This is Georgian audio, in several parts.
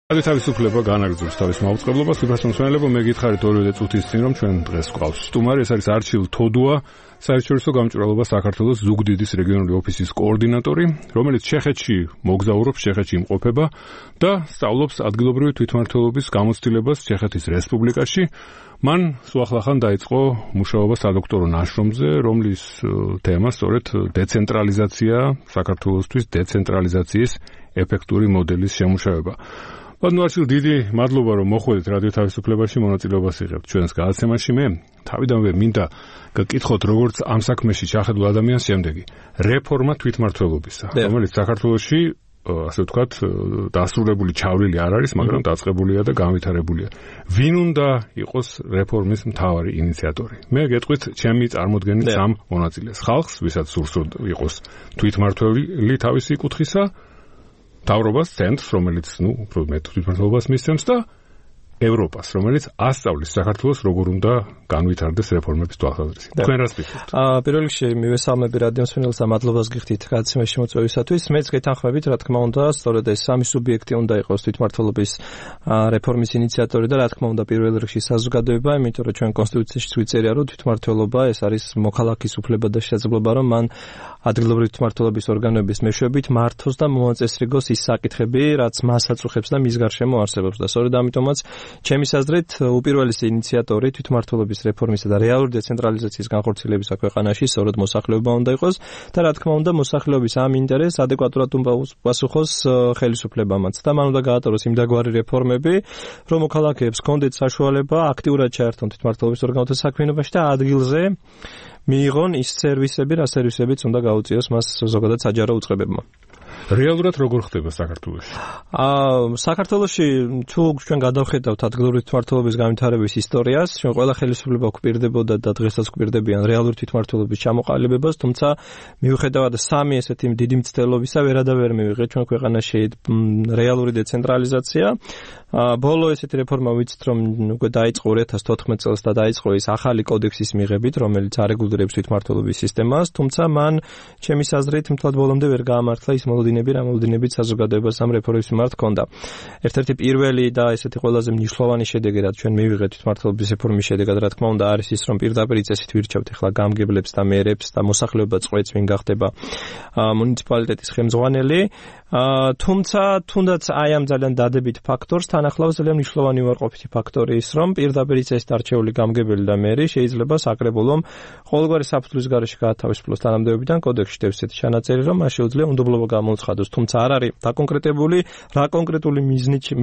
თავისუფლება განაგრძობს თავის მაუწყებლობას, ვიფასმსვენელებო მე გითხარით ორივე წუთის წინ რომ ჩვენ დღეს გვყავს სტუმარი, ეს არის არჩილ თოდუა, საერთაშორისო გამჭვირვალობა საქართველოს ზუგდიდის რეგიონული ოფისის კოორდინატორი, რომელიც ჩეხეთში მოგზაურობს, ჩეხეთში იმყოფება და სწავლობს ადგილობრივი თვითმმართველობის გამოცდილებას ჩეხეთის რესპუბლიკაში. მან სუახლახან დაიწყო მუშაობა სადოქტორო ნაშრომზე, რომლის თემა სწორედ დეცენტრალიზაცია, საქართველოსთვის დეცენტრალიზაციის ეფექტური მოდელის შემუშავება. Arčil, დიდი მადლობა რომ მოხვედით რადიო თავისუფლებაში მონაწილეობას იღებთ ჩვენს გადაცემაში. მე თავიდანვე მინდა გკითხოთ როგორც ამ საქმეში ჩახედულ ადამიანს შემდეგი რეფორმა თვითმმართველობისა, რომელიც საქართველოში ასე ვთქვათ დასრულებული ჩავლილი არ არის, მაგრამ დაწყებულია და განვითარებულია. ვინ უნდა იყოს რეფორმის მთავარი ინიციატორი? მე გეტყვით ჩემი წარმოდგენით სამ მონაწილეს. ხალხს, ვისაც სურს იყოს თვითმმართველი თავისი კუთხისა, მთავრობას, ცენტრს, რომელიც, უფრო მეტ თვითმმართველობას მისცემს და ევროპას, რომელიც ასწავლის საქართველოს როგორ უნდა განვითარდეს რეფორმების თვალსაზრისით. თქვენ რას ფიქრობთ? პირველ რიგში მივესალმები რადიო მსმენელს და მადლობას გიხდით გადაცემაში მოწვევისათვის. მეც გეთანხმებით, რა თქმა უნდა, სწორედ ეს სამი სუბიექტი უნდა იყოს თვითმმართველობის რეფორმის ინიციატორი და რა თქმა უნდა პირველ რიგში საზოგადოება, იმიტომ რომ ჩვენ კონსტიტუციაში ვიწერია, რომ თვითმმართველობა ეს არის მოქალაქის უფლება და შესაძლებლობა, რომ მან ადგილობრივი თვითმმართველობის ორგანოების მეშვეობით მართოს და მოაწესრიგოს ის საკითხები, რაც მას აწუხებს და მის გარშემო არსებობს და სწორედ ამიტომაც ჩემის აზრით უპირველესი ინიციატორი თვითმმართველობის რეფორმისა და რეალური დეცენტრალიზაციის განხორციელებისა ქვეყანაში სწორედ მოსახლეობა უნდა იყოს და რა თქმა უნდა მოსახლეობის ამ ინტერესს ადეკვატურად უნდა პასუხოს ხელისუფლებამაც და მან უნდა გაატაროს იმდაგვარი რეფორმები, რომ მოქალაქეებს ჰქონდეთ საშუალება აქტიურად ჩაერთონ თვითმმართველობის ორგანოთა საქმიანობაში და ადგილზე მიიღონ ის სერვისები, რა სერვისებიც უნდა გაუწიოს მას ზოგადად საჯარო უწყებებმა. რეალურად როგორ ხდება საქართველოში? საქართველოში თუ ჩვენ გადავხედავთ ადგილობრივი თვითმმართველობის განვითარების ისტორიას, ჩვენ ყველა ხელისუფლება გვპირდებოდა და დღესაც გვპირდებიან რეალური თვითმმართველობის ჩამოყალიბებას, თუმცა მიუხედავად სამი ესეთი დიდი მცდელობისა ვერადავერ მივიღეთ ჩვენ ქვეყანაში რეალური დეცენტრალიზაცია. ბოლო ესეთი რეფორმა ვიცით რომ უკვე დაიწყო 2014 წელს და დაიწყო ის ახალი კოდექსის მიღებით, რომელიც არეგულირებს თვითმმართველობის სისტემას, თუმცა მან ჩემის აზრით მთლად ბოლომდე ვერ გაამართლა ის მოლოდინები, რა მოლოდინებით საზოგადოებას ამ რეფორმის მიმართ ჰქონდა. ერთ-ერთი პირველი და ესეთი ყველაზე მნიშვნელოვანი შედეგი, რაც ჩვენ მივიღეთ თვითმმართველობის რეფორმის შედეგად, რა თქმა უნდა, არის ის, რომ პირდაპირ წესით ვირჩევთ ახლა გამგებლებს და მერებს და მოსახლეობა წყვეტს, ვინ გახდება მუნიციპალიტეტის ხელმძღვანელი. თუმცა თუნდაც აი ამ ძალიან დადებით ფაქტორს თან ახლავს ძალიან მნიშვნელოვანი უარყოფითი ფაქტორი ის, რომ პირდაპირ წესით არჩეული გამგებელი და მერი შეიძლება საკრებულომ ყოველგვარი საფუძვლის გარეშე გაათავისუფლოს თანამდებობიდან. კოდექსში დევს ესეთი ჩანაწერი, რომ მას შეუძლია უნდობლობა გამოუცხადოს, თუმცა არ არის დაკონკრეტებული რა კონკრეტული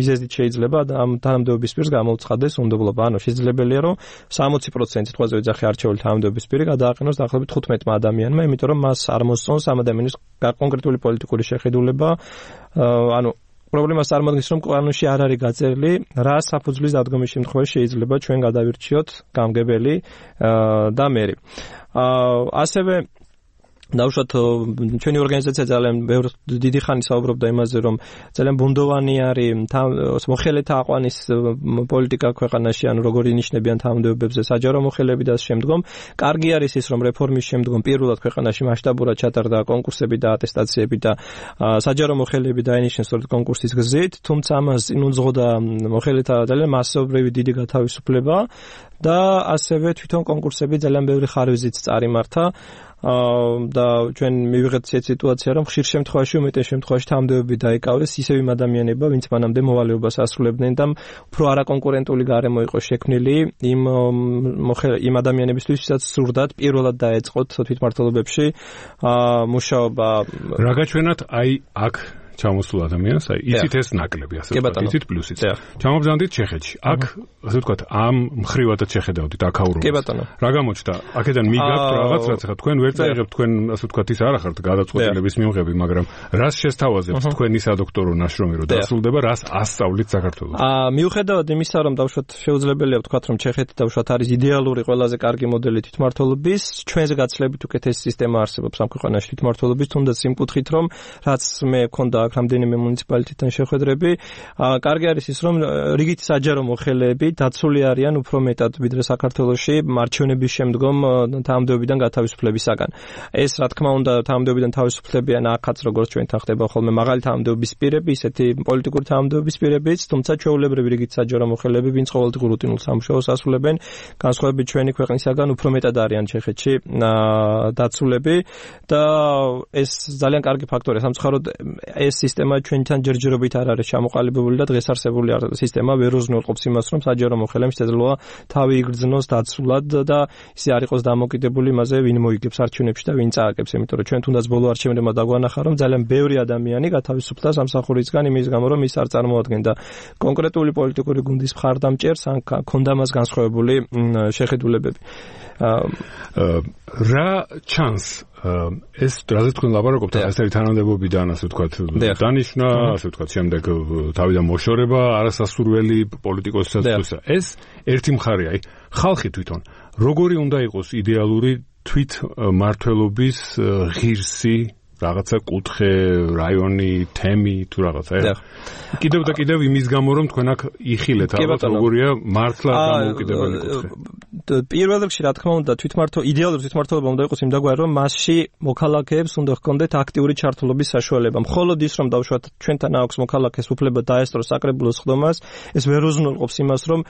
მიზეზით შეიძლება ამ თანამდებობის პირს გამოუცხადეს უნდობლობა. ანუ შესაძლებელია, რომ 60% თვალზე ვიძახი არჩეული თანამდებობის პირი გადააყენოს დაახლოებით 15 ადამიანმა, იმიტომ რომ მას არ მოსწონს ამ ადამიანის კონკრეტული პოლიტიკური შეხედულება. ანუ პრობლემას წარმოადგენს, რომ ყანონში არ არის გაწერილი, რა საფუძვლის დადგომის შემთხვევაში შეიძლება ჩვენ გადავირჩიოთ გამგებელი და მერი. ასევე დავუშვათ ჩვენი ორგანიზაცია ძალიან დიდი ხანი საუბრობდა იმაზე, რომ ძალიან ბუნდოვანი არის მოხელეთა აყვანის პოლიტიკა ქვეყანაში, ანუ როგორ ინიშნებიან თანამდებობებზე საჯარო მოხელეები და ამ შემდგომ. კარგი არის ის, რომ რეფორმის შემდგომ პირველად ქვეყანაში მასშტაბურად ჩატარდა კონკურსები და ატესტაციები და საჯარო მოხელეები დაინიშნეს სწორედ კონკურსის გზით, თუმცა ამას წინ უძღოდა მოხელეთა ძალიან მასობრივი დიდი გათავისუფლება და ასევე თვითონ კონკურსები ძალიან ბევრი ხარვეზით წარიმართა. და ჩვენ მივიღეთ სიტუაცია, რომ ხშირ შემთხვევაში უმეტეს შემთხვევაში თანამდებობები დაიკავეს ისევ იმ ადამიანებმა, ვინც მანამდე მოვალეობას ასრულებდნენ და უფრო არაკონკურენტული გარემო იყო შექმნილი იმ ადამიანებისთვის, ვისაც სურდათ პირველად დაეწყოთ თვითმმართველობებში მუშაობა. რა გაჩვენათ აი აქ ჩამოსულ ადამიანს, აი იცით ეს ნაკლები, ასე ვთქვათ, იცით პლუსიც. ჩამობრძანდით ჩეხეთში. აქ, ასე ვთქვათ, ამ მხრივადაც შეხედავდით აქაურობას. კი ბატონო. რა გამოჩნდა? აქედან მიგაქვთ რაღაც, რაც ახლა თქვენ ვერ წაიღებთ, თქვენ ასე ვთქვათ, ის არ ახართ გადაწყვეტილების მიღები, მაგრამ რას შესთავაზებთ თქვენი სადოქტორო ნაშრომი, რომ დასრულდება, რას ასწავლით საქართველოს? მიუხედავად იმისა, რომ დავუშვათ შეუძლებელია ვთქვათ, რომ ჩეხეთი დავუშვათ არის იდეალური ყველაზე კარგი მოდელი თვითმმართველობის, ჩვენზე გაცილებით უკეთესი სისტემა არსებობს ამ ქვეყანაში თვითმმართველობის, თუნდაც იმ კუთხით, რომ რაც მე მქონდა აქვს რამდენიმე მუნიციპალიტეტთან შეხვედრები. კარგი არის ის, რომ რიგით საჯარო მოხელეები დაცული არიან უფრო მეტად ვიდრე საქართველოში მარჩევნების შემდგომ თანამდებობიდან გათავისუფლებისაგან. ეს რა თქმა უნდა თანამდებობიდან თავისუფლებიან აქაც როგორც ჩვენთან ხდება ხოლმე მაღალი თანამდებობის პირები, ისეთი პოლიტიკური თანამდებობის პირებიც, თუმცა ჩვეულებრივი რიგით საჯარო მოხელეები, ვინც ყოველდღიურ რუტინულ სამუშაოს ასრულებენ, განსხვავებით ჩვენი ქვეყნისაგან უფრო მეტად არიან ჩეხეთში დაცულები და ეს ძალიან კარგი ფაქტორია. სამწუხაროდ ეს სისტემა ჩვენთან ჯერჯერობით არ არის ჩამოყალიბებული და დღეს არსებული სისტემა ვერ უზრუნველყოფს იმას, რომ საჯარო მოხელემ შესაძლოა თავი იგრძნოს დაცულად და ისე არ იყოს დამოკიდებული იმაზე, ვინ მოიგებს არჩევნებში და ვინ წააგებს, იმიტომ რომ ჩვენ თუნდაც ბოლო არჩევნებმა დაგვანახა, რომ ძალიან ბევრი ადამიანი გათავისუფლდა სამსახურისგან იმის გამო, რომ ის არ წარმოადგენდა კონკრეტული პოლიტიკური გუნდის მხარდამჭერს, ან ქონდა მას განსხვავებული შეხედულებები. რა ჩანს ეს რაზე თქვენ ლაპარაკობთ, ეს არის თანამდებობიდან, ასე ვთქვათ, დანიშნა, ასე ვთქვათ, შემდეგ თავიდან მოშორება, არასასურველი პოლიტიკოსისათვის. ეს ერთი მხარეა, აი, ხალხი თვითონ როგორი უნდა იყოს იდეალური თვითმმართველობის ღირსი რაღაცა კუთხე, რაიონი, თემი თუ რაღაცა. კიდევ და კიდევ იმის გამო რომ თქვენ აქ იხილეთ ალბათ როგორია მართლა დამოუკიდებელი კუთხე. პირველ რიგში რა თქმა უნდა იდეალური თვითმმართველობა უნდა იყოს იმ დაგვარი რომ მასში მოქალაქეებს უნდა ჰქონდეთ აქტიური ჩართულობის საშუალება. მხოლოდ ის რომ დავუშვათ ჩვენთან აქვს მოქალაქეს უფლება დაესწროს საკრებულოს ხდომას, ეს ვერ უზრუნველყოფს იმას რომ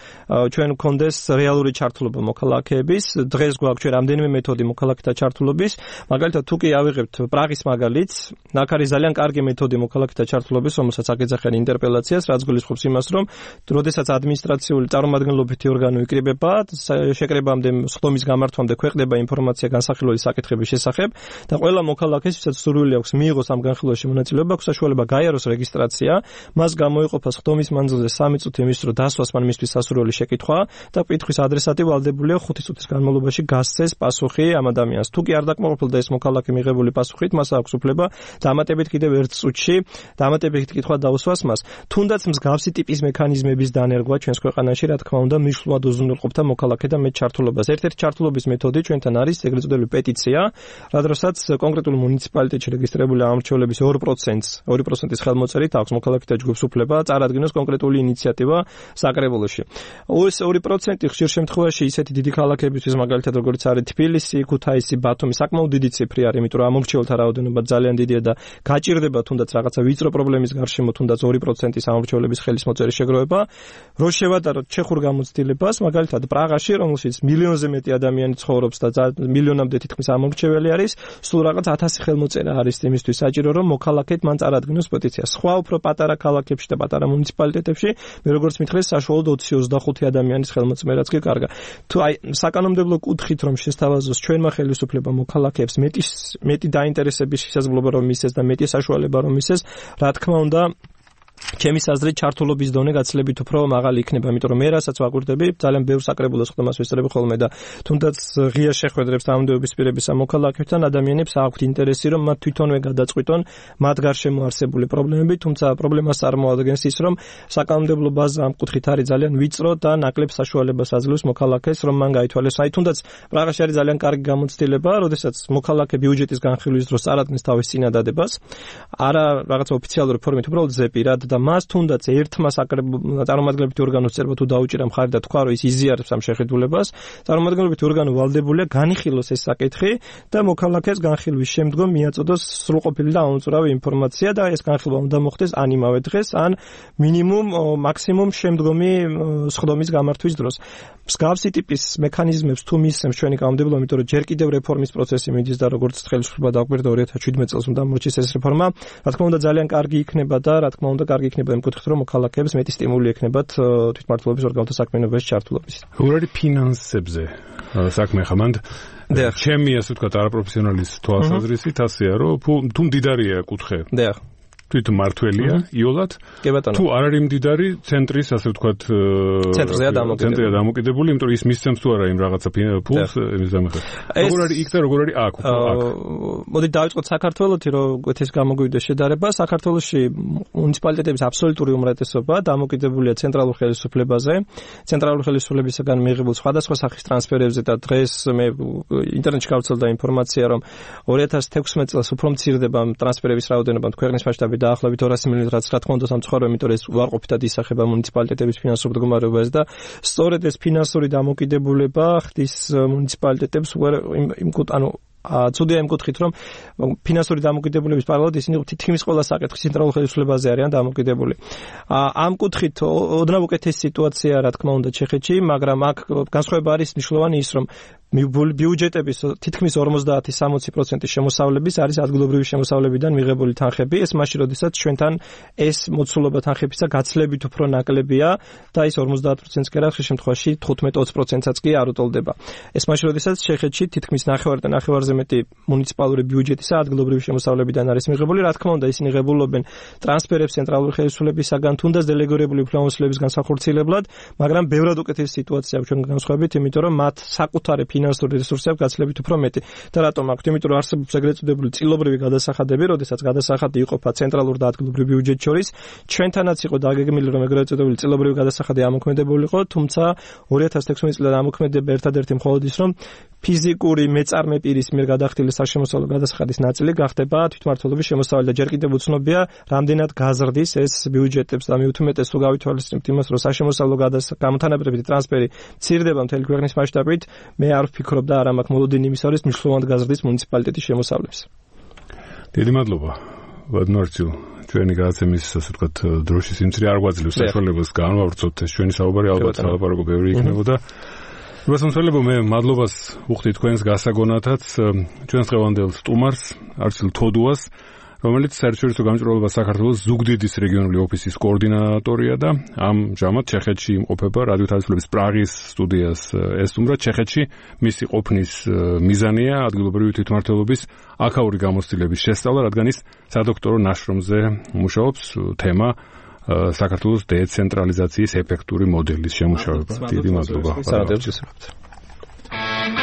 ჩვენ გქონდეს რეალური ჩართულობა მოქალაქეების. დღეს გვაქვს ჩვენ რამდენიმე მეთოდი მოქალაქეთა ჩართულობის. მაგალითად თუ კი ავიღებთ პრაღის მაგალითს, აქ არის ძალიან კარგი მეთოდი მოქალაქეთა ჩართულობის, რომელსაც აკეცახიან ინტერპელაციას, რაც გულისხმობს იმას, რომ როდესაც ადმინისტრაციული წარმომადგენლობითი ორგანო იკრიბება, შეკრებამდე სხდომის გამართვამდე ქვეყნდება ინფორმაცია განსახილველი საკითხების შესახებ და ყველა მოქალაქეს, ვისაც სურვილი აქვს მიიღოს ამ განხილვაში მონაწილეობა, აქვს საშუალება გაიაროს რეგისტრაცია, მას გამოიყოფა სხდომის მანძილზე 3 წუთი იმისთვის, რომ დასვას მან მისთვის სასურველი შეკითხვა და კითხვის ადრესატი ვალდებულია 5 წუთის განმავლობაში გასცეს პასუხი ამ ადამიანს. თუ კი არ დაკმაყოფილდა ეს მოქალაქე მიღებული პასუხით, მას აქვს უფლება დამატებით კიდევ 1 წუთში დამატებით კითხვა დაუსვას მას. თუნდაც მსგავსი ტიპის მექანიზმების დანერგვა ჩვენს ქვეყანაში, რა თქმა უნდა, მნიშვნელოვნად უზრუნველყოფდა მოქალაქე და ჩართულობას. ერთ-ერთი ჩართულობის მეთოდი ჩვენთან არის ეგრეთ წოდებული პეტიცია, რადგანაც კონკრეტულ მუნიციპალიტეტში რეგისტრირებული ამორჩევლების 2%-ის ხელმოწერით აქვს მოქალაქეთა ჯგუფს უფლება წარადგინოს კონკრეტული ინიციატივა საკრებულოში. ეს 2% ხშირ შემთხვევაში ისეთი დიდი ქალაქებისთვის, მაგალითად როგორც არის თბილისი, ქუთაისი, ბათუმი, საკმაოდ დიდი ციფრი არის, იმიტომ რომ ამორჩეულთა რაოდენობა ძალიან დიდია და გაჭირდება თუნდაც რაღაცა ვიწრო პრობლემის გარშემო თუნდაც 2%-ის ამორჩევლების ხელისმოწერის შეგროვება. რო შევატაროთ ჩეხურ გამოცდილებას, მაგალითად პრაღაში, რომელშიც მილიონზე მეტი ადამიანი ცხოვრობს და მილიონამდე თითქმის ამორჩეველი არის, სულ რაღაც 1000 ხელმოწერა არის იმისთვის საჭირო, რომ მოქალაქედ მან წარადგინოს პეტიცია. სხვა უფრო პატარა ქალაქებში და პატარა მუნიციპალიტეტებში, მე როგორც მითხრეს, საშუალოდ 20-25 ადამიანის ხელმოწერაც კი კარგა. თუ აი საკანონმდებლო კუთხით რომ შესთავაზოს ჩვენმა ხელისუფლება მოქალაქეებს მეტი დაინტერესების შესაძლებლობა რომ მისცეს და მეტი საშუალება რომ მისცეს, რა თქმა უნდა ჩემის აზრით ჩართულობის დონე გაცილებით უფრო მაღალი იქნება, იმიტომ რომ მე რასაც ვაკვირდები, ძალიან ბევრ საკრებულოს ხდომას ვესწრები ხოლმე და თუნდაც ღია შეხვედრებს თანამდებობის პირების ამ მოქალაქეებთან ადამიანებს აქვთ ინტერესი, რომ მათ თვითონვე გადაწყვიტონ მათ გარშემო არსებული პრობლემები, თუმცა პრობლემას წარმოადგენს ის, რომ საკანონმდებლო ბაზა ამ კუთხით არის ძალიან ვიწრო და ნაკლებ საშუალებას აძლევს მოქალაქეს, რომ მან გაითვალეს. აი თუნდაც პრაღაში არის ძალიან კარგი გამოცდილება, როდესაც მოქალაქე ბიუჯეტის განხილვის დროს წარადგენს თავის წინადადებას, არა რაღაცა ოფიციალური ფორმით, უბრალოდ ზეპირად და მას თუნდაც ერთმა წარმომადგენლობითი ორგანოს წერვა თუ დაუჭირა მხარი და თქვა, რომ ის იზიარებს ამ შეხედულებას, წარმომადგენლობითი ორგანო ვალდებულია განიხილოს ეს საკითხი და მოქალაქეს განხილვის შემდგომ მიაწოდოს სრულყოფილი და ამომწურავი ინფორმაცია და ეს განხილვა უნდა მოხდეს ან იმავე დღეს, ან მინიმუმ მაქსიმუმ შემდგომი სხდომის გამართვის დროს. მსგავსი ტიპის მექანიზმებს თუ მისცემს ჩვენი კანონმდებლობა, იმიტომ რომ ჯერ კიდევ რეფორმის პროცესი მიდის და როგორც ხელისუფლება დაგვერდა 2017 წელს უნდა მოჩის ეს რეფორმა, რა თქმა უნდა ძალიან კარგი იქნება და რა თქმა უნდა კარგი იქნება იმ კუთხით, რომ მოქალაქეებს მეტი სტიმული ექნებათ თვითმმართველობის ორგანოთა საქმიანობაში ჩართულობის. როგორ არის ფინანსებზე საქმე ხა მანდ ჩემი ასე ვთქვათ არაპროფესიონალის თვალსაზრისით ასეა, რომ თუ მდიდარია კუთხე. თვითმმართველია იოლად თუ არ არის მდიდარი ცენტრის ასე ვთქვათ ცენტრზეა დამოკიდებული, იმიტომ რომ ის მისცემს თუ არა იმ რაღაცა ფულს იმის დამახსოვრებლად. როგორ არის იქ და როგორ არის აქ? მოდით დავიწყოთ საქართველოში, რომ ეს გამოგვივიდეს შედარება. საქართველოში მუნიციპალიტეტების აბსოლუტური უმრავლესობა დამოკიდებულია ცენტრალურ ხელისუფლებაზე, ცენტრალური ხელისუფლებისგან მიღებულ სხვადასხვა სახის ტრანსფერებზე და დღეს მე ინტერნეტში გავცელდა ინფორმაცია, რომ 2016 წელს უფრო მცირდება ტრანსფერების რაოდენობა ქვეყნის მასშტაბით დაახლოებით 200 მილიონი, რაც რა თქმა უნდა სამწუხაროა, იმიტომ რომ ეს უარყოფითად ისახება მუნიციპალიტეტების ფინანსურ მდგომარეობას და სწორედ ეს ფინანსური დამოკიდებულება ხდის მუნიციპალიტეტებს ცუდია იმ კუთხით, რომ ფინანსური დამოკიდებულების პარალელად ისინი თითქმის ყველა საკითხის ცენტრალურ ხელისუფლებაზე არიან დამოკიდებული. ამ კუთხით ოდნავ უკეთესი სიტუაცია, რა თქმა უნდა, ჩეხეთში, მაგრამ აქ განსხვავება არის მნიშვნელოვანი ის, რომ ბიუჯეტების თითქმის 50-60% შემოსავლების არის ადგილობრივი შემოსავლებიდან მიღებული თანხები. ეს მაშინ, როდესაც ჩვენთან ეს მოცულობა თანხებისა გაცლებით უფრო ნაკლებია და ის 50%-ს კი არა, ხშირ შემთხვევაში 15-20%-საც კი არ უტოლდება. ეს მაშინ, როდესაც ჩეხეთში თითქმის ნახევარზე მეტი მუნიციპალური ბიუჯეტისა ადგილობრივი შემოსავლებიდან არის მიღებული. რა თქმა უნდა, ისინი ღებულობენ ტრანსფერებს ცენტრალური ხელისუფლებისაგან, თუნდაც დელეგირებული უფლებამოსილების განსახორციელებლად, მაგრამ ბევრად უკეთესი სიტუაცია ჩვენ განსხვავებით, იმიტომ რომ მათ საკუთარი ფინანსური რესურსი აქვს გაცილებით უფრო მეტი. და რატომ აქვს? იმიტომ რომ არსებობს ეგრეთ წოდებული წილობრივი გადასახადები, როდესაც გადასახადი იყოფა ცენტრალურ და ადგილობრივ ბიუჯეტ შორის. ჩვენთანაც იყო დაგეგმილი, რომ ეგრეთ წოდებული წილობრივი გადასახადი ამოქმედებულიყო, თუმცა 2016 წლიდან ამოქმედება ერთადერთი მხოლოდ ის, რომ ფიზიკური მეწარმე პირის მიერ გადახდილი საშემოსავლო გადასახადის ნაწილი გახდება თვითმმართველობის შემოსავალი და ჯერ კიდევ უცნობია, რამდენად გაზრდის ეს ბიუჯეტებს და მიუთმეტეს თუ გავითვალისწინებთ იმას, რომ საშემოსავლო გამთანაბრებითი ტრანსფერი მცირდება მთელი ქვეყნის მასშტაბით, მე არ ვფიქრობ და არ მაქვს მოლოდინი იმის არის მნიშვნელოვნად გაზრდის მუნიციპალიტეტის შემოსავლებს. დიდი მადლობა. ვადნორცილ, ჩვენი გადაცემის ასე ვთქვათ დროშის სიმცირე არ გვაძლევს საშუალებას განვავრცოთ ეს ჩვენი საუბარი, ალბათ სალაპარაკო ბევრი იქნებოდა. მოსამსხელებო, მე მადლობას ვუხდი თქვენს გასაგონათაც ჩვენს დღევანდელ სტუმარს, არჩილ თოდუას, რომელიც საერთაშორისო გამჭვირვალობა საქართველოს ზუგდიდის რეგიონული ოფისის კოორდინატორია და ამჟამად ჩეხეთში იმყოფება რადიო თავისუფლების პრაღის სტუდიას ესტუმრა. ჩეხეთში მისი ყოფნის მიზანია ადგილობრივი თვითმმართველობის აქაური გამოცდილების შესწავლა, რადგან ის სადოქტორო ნაშრომზე მუშაობს, თემა საქართველოს დეცენტრალიზაციის ეფექტური მოდელის შემუშავება. დიდი მადლობა.